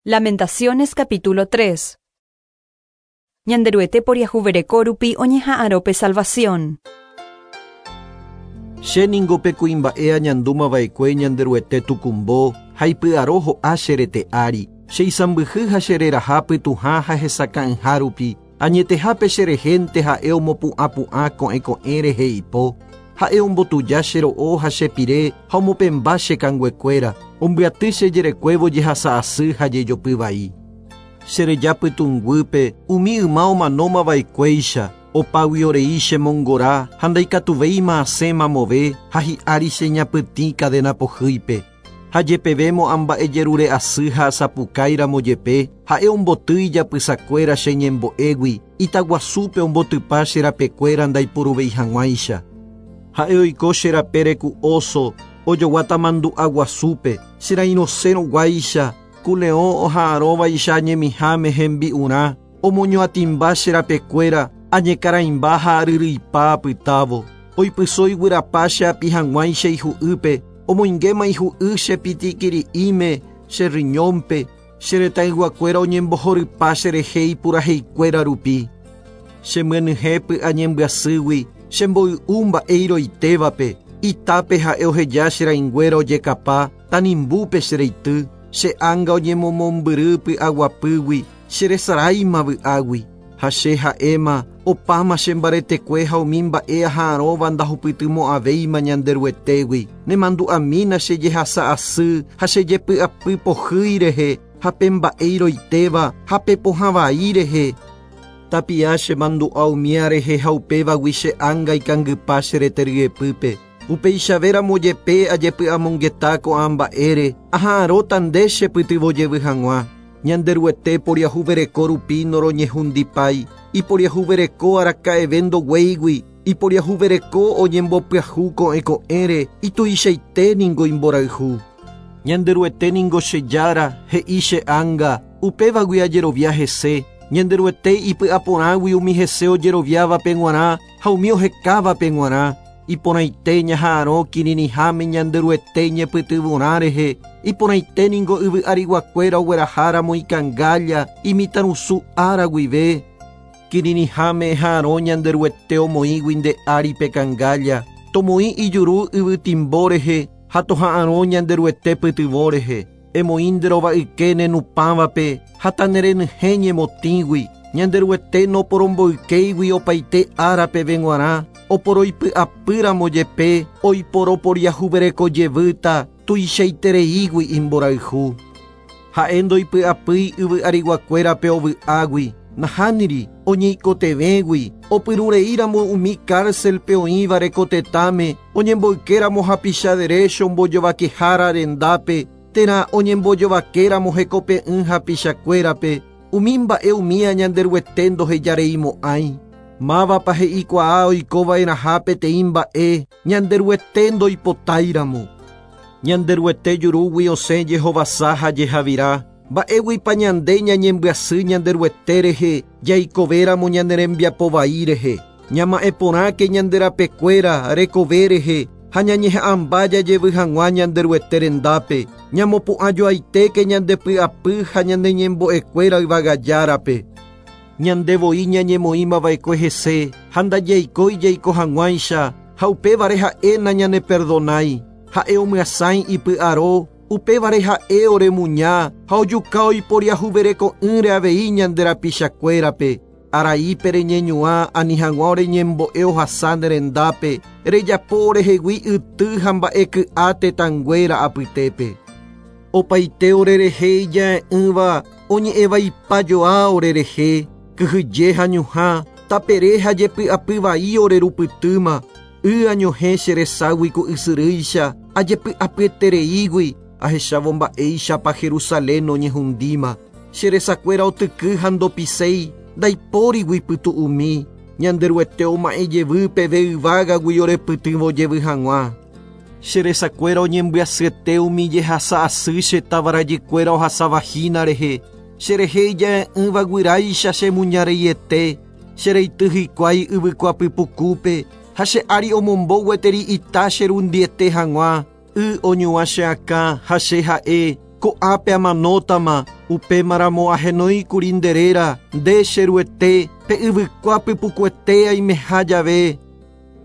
Lamentaciones capítulo 3. Ñanderuete poriahuvereko rupi oñeha'arõ pe salvación. Che ningo pe kuimba'e añandúmava'ekue Ñanderuete tukumbo ha ipy'aro ho'a che rete ári, che isãmbyhy ha che reraha pytũha ha hesakã'ỹha rupi, añetehápe che rehénte ha'e omopu'ãpu'ã ko'ẽko'ẽ rehe ipo. Ha'e ombotuja che ro'o ha che pire ha omopẽmba che kanguekuéra, ombyaty che jerekuévo jehasa asy ha jejopy vai. Che reja pytũnguýpe umi yma omanóma va'ekuéicha, opágui orei che mongora ha ndaikatuvéima asẽ mamove ha hi'ári che ñapytĩ cadena pohýipe. Ha jepevémo amba'ejerure asy ha asapukáiramo jepe, ha'e omboty ijapysakuéra che ñembo'égui, itaguasúpe ombotypa che rapekuéra ndaipuruvéi hag̃uáicha. Ha'e oiko che rapére ku oso, ojoguáta mandu'a guasúpe, che rairõsérõ guáicha, ku leõ oha'arõvaicha añemiháme hembi'urã, omoñoatĩmba che rapekuéra, añekaraimba ha aryryipa apytávo. Oipyso iguyrapa che api hag̃uáicha ihu'ýpe, omoingéma ihu'y che pitikiri'ĩme, che riñónpe, che retãyguakuéra oñembohorypa cherehe ipuraheikuéra rupi. Che myenyhẽ py'a ñembyasýgui, che mboy'u mba'e iroitévape, itápe ha'e oheja che rãinguéra ojekapa, tanimbúpe che reity, che ánga oñemomombyry py'aguapýgui, che resaráima vy'águi. Ha che ha'éma, opáma che mbaretekue ha umi mba'e aha'arõva ndahupytymo'ãvéima Ñanderuetégui. Nemandu'amína che jehasa asy ha che jepy'apy pohýi rehe, ha pe mba'e iroitéva ha pe pohã vai rehe. Tapia che mandu'a umía rehe ha upévagui che ánga ikangypa che rete ryepýpe. Upeichavéramo jepe ajepy'amongeta ko'ã mba'ére, aha'arõta nde che pytyvõ jevy hag̃ua. Ñanderuete poriahuvereko rupi noroñehundipái, iporiahuvereko araka'eve ndoguéigui, iporiahuvereko oñembopyahu ko'ẽ ko'ẽre, ituichaite ningo imborayhu. Ñanderuete ningo che Jára, he'i che ánga, upévagui ajerovia hese, Ñanderuete ipy'aporãgui umi hese ojeroviávape g̃uarã ha umi ohekávape g̃uarã. Iporãite ñaha'arõ kirirĩháme Ñanderuete ñepytyvõrã rehe, iporãite ningo yvy ariguakuéra ogueraháramo ikangálla imitãrusu ára guive. Kirirĩháme eha'arõ Ñanderuete omoĩgui nde ári pe kangálla, tomoĩ ijuru yvytimbo rehe ha toha'arõ Ñanderuete pytyvõ rehe. Emoĩ nde rova'yke ne nupãvape ha tanerenyhẽ ñemotĩgui, Ñanderuete noporomboykéigui opaite ára peve g̃uarã, oporoipy'apýramo jepe oiporoporiahuvereko jevýta tuichaitereígui imborayhu. Ha'e ndoipy'apýi yvy ariguakuérape ovy'águi, nahániri, oñeikotevẽgui, opyrũreíramo umi cárcel-pe oĩvare ko tetãme, oñemboykéramo hapicha derécho mbojovakehára rendápe, térã oñembojovakéramo hekope'ỹ hapichakuérape, umi mba'e umía Ñanderuete ndohejareimo'ãi. Mávapa he'ikuaa oikova'erãha peteĩ mba'e Ñanderuete ndoipotáiramo? Ñanderuete jurúgui osẽ jehovasa ha jehavira, mba'éguipa ñande ñañembyasy Ñanderuete rehe jaikovéramo ñane rembiapo vai rehe. Ñama'ẽ porãke ñande rapekuéra rekove rehe ha ñañeha'ãmba jajevy hag̃ua Ñanderuete rendápe, ñamopu'ãjoaitéke ñande py'apy ha ñane ñembo'ekuéra yvagajárape. Ñande voi ñañemoĩmava'ekue hese ha ndajaikói jaiko hag̃uáicha ha upévare ha'e nañaneperdonái. Ha'e omyasãi ipy'aro, upévare ha'e oremuña ha ojuka oiporiahuvereko'ỹre avei ñande rapichakuérape. Araípe reñeñuã ani hag̃ua oreñembo'e ohasa ne rendápe, rejapo orehegui yty ha mba'e ky'a tetãnguéra apytépe. Opaite orerehe ija'e'ỹva oñe'ẽvaipajoa orerehe, kyhyje ha ñuhã, tapere ha jepy'apy vai orerupytýma, y añohẽ che reságui ku ysyrýicha, ajepy'apyetereígui, ahechávo mba'éichapa Jerusalén oñehundíma. Che resakuéra otyky ha ndopiséi, ndaipórigui pytu'umi, Ñanderuete oma'ẽ jevy peve yvágagui orepytyvõ jevy hag̃ua. Che resakuéra oñembyasyete umi jehasa asy che tavarajykuéra ohasavahína rehe, cherehe ija'e'ỹva guyráicha che muñareiete, che reity hikuái yvykua pypukúpe ha che ári omombo gueteri ita che rundiete hag̃ua, y oñuã che akã ha che ha'e. Ko'ápe amanótama, upémaramo ahenóikuri nde réra, nde che Ruete, pe yvykua pypukuete aimeha jave.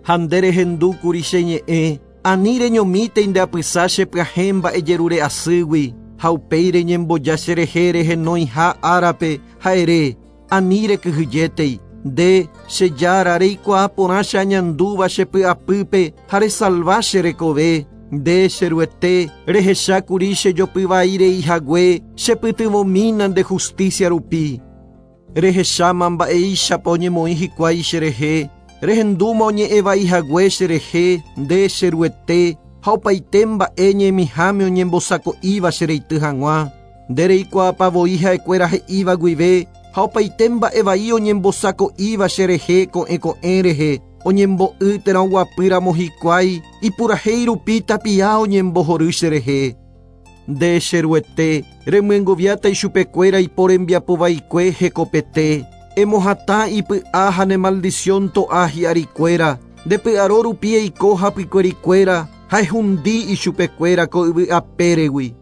Ha nde rehendúkuri che ñe'ẽ, ani reñomítei nde apysa che pyahẽ mba'ejerure asýgui, ha upéi reñemboja cherehe rehenóiha árape ha ere, ani rekyhyjétei, nde che Jára reikuaa porã che añandúva che py'apýpe ha resalva che rekove. Nde che Ruete, rehechákuri che jopyvai reihague, chepytyvõmína nde justicia rupi. Rehecháma mba'éichapa oñemoĩ hikuái cherehe, rehendúma oñe'ẽvaihague cherehe, nde che Ruete, ha opaite mba'e ñemiháme oñembosako'íva chereity hag̃ua. Nde reikuaápa voi ha'ekuéra he'íva guive, ha opaite mba'evai oñembosako'íva cherehe ko'ẽ ko'ẽ rehe, oñembo'y térã oguapýramo hikuái, ipurahéi rupi tapia oñembohory cherehe. Nde che Ruete, remyengoviáta ichupekuéra iporembiapovaikue hekopete, emohatã ipy'a ha ne maldición to'a hi'arikuéra, nde py'aro rupi eiko hapykuerikuéra ha ehundi ichupekuéra ko yvy apéregui.